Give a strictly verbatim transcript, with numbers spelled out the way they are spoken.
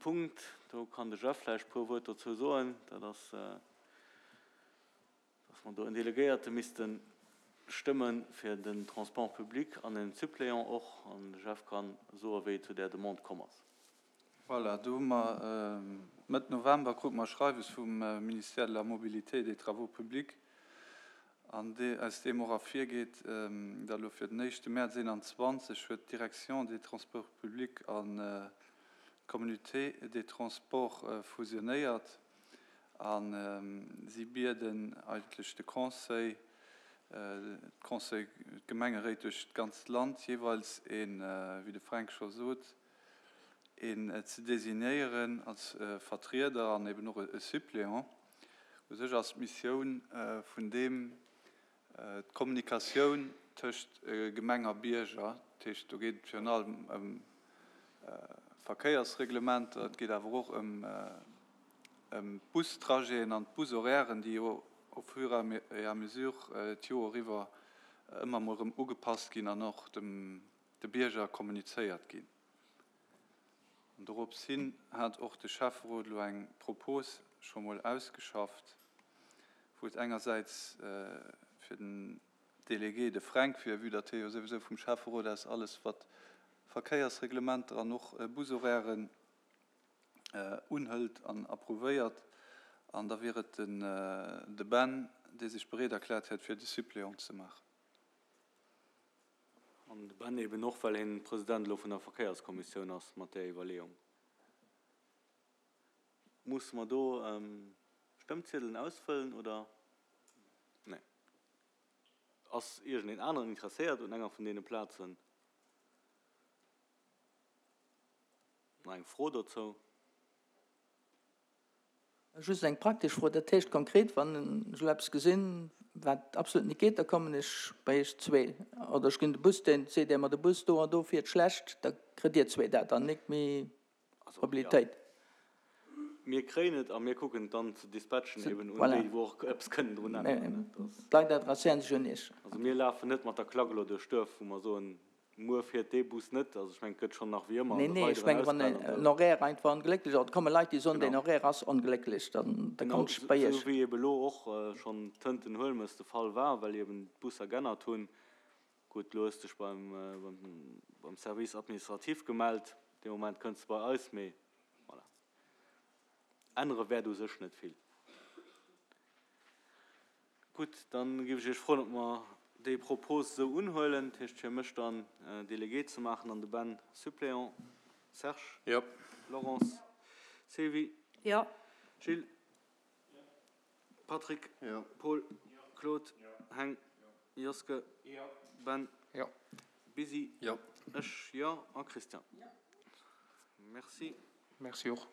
Punkt, do kann de Jeff vläicht e puer Wuert dozou soen, dat ass, dass mer do en Delegéierte misste stëmme fir den Transport public an en Suppléant och. An de Jeff ka soen, wéi et zu där Demande komm ass. Voilà, do hu mer Mëtt November krute mer e Schreiwes vum Ministère de la Mobilité et des Travaux publics, an dee, aus deem och ervirgeet, datt elo fir den éischte Mäerz eenanzwanzeg huet d'Direction des Transports publics an d'Communauté des Transports fusionéiert a si bieden eigentlech de Conseil, d'Conseil, d'Gemengeréit duerch d'ganzt Land jeeweils een, wéi de Fränk scho sot, een ze designéieren als Vertrieder an eben och e Suppléant. U sech ass d'Missioun vun deem d'Kommunikatioun tëscht Gemeng a Bierger. Dat heescht, do geet et virun allem ëm Verkéiersreglementer, et geet awer och ëm d'Bustrajeten an d'Bushorairen, déi jo au fur et à mesure d'Joer iwwer ëmmer emol erëm ugepasst ginn an och dem de Bierger kommunizéiert ginn. An dorops hin hat och de Schäfferot elo eng Propos scho mol ausgeschafft, wou et engersäits fir den Délégué, de Fränk, wier, vue datt hie jo souwisou vum Schäfferot aus alles wat Verkéiersreglementer an och Bushorairen unhëlt an approuvéiert, an da wier et de Ben, dee sech bereet erkläert hätt, fir de Suppléant ze maachen. An de Ben eben och, well hien President elo vun der Verkéierskommissioun ass, mat där Iwwerleeung. Musse mer do Stëmmziedelen ausfëllen oder? Nee. Ass iergendeen aneren interesséiert un enger vun deene Plazen? Nach eng Fro dozou? Just eng praktesch Fro, dat heescht konkret, wann ech elo eppes gesinn, wat absolut net geet, da kommen ech bei iech zwee oder ech ginn de Bus, deen seet Dir mer, de Bus do an do fiert schlecht, da kritt Dir zwee dat an nik méi Mobilitéit. Mir kréien et a mir kucken et dann ze dispatchen eben un déi, wou och eppes kënnen drun änneren. D'Leit adresséieren sech un Iech. Also mir lafen net mat der Klack elo duerch d'Duerf, wou mer soen, Muer fiert dee Bus net. Also ech mengen, et gëtt schonn nach wéi ëmmer an de weideren Ausfäll an esou. Nee, nee, ech mengen, wann en Horaire einfach onglécklech ass, et komme Leit, déi soen, deen Horaire ass onglécklech, dann da kommt ech bei Iech. Genau, esou wéi ebe elo och schonn tënt den Huelmes de Fall war, well eben d'Busser g'ännert hunn. Gutt, elo hues dech beim, beim Service administratif gemellt, dee Moment kënns de bei eis, mee voilà. Ännere wäert u sech net vill. Gutt, dann géif ech Iech froen, ob mer déi Propos esou unhuelen, dat heescht fir mech dann Délégué ze maachen an de Ben Suppléant. Serge? Jo. Laurence? Sylvie? Jo. Gilles? Jo. Patrick? Jo. Paul? Jo. Claude? Jo. Heng? Jo. Joske? Jo. Ben? Jo. Busy? Jo. Ech jo. A Christian? Jo. Merci. Merci och.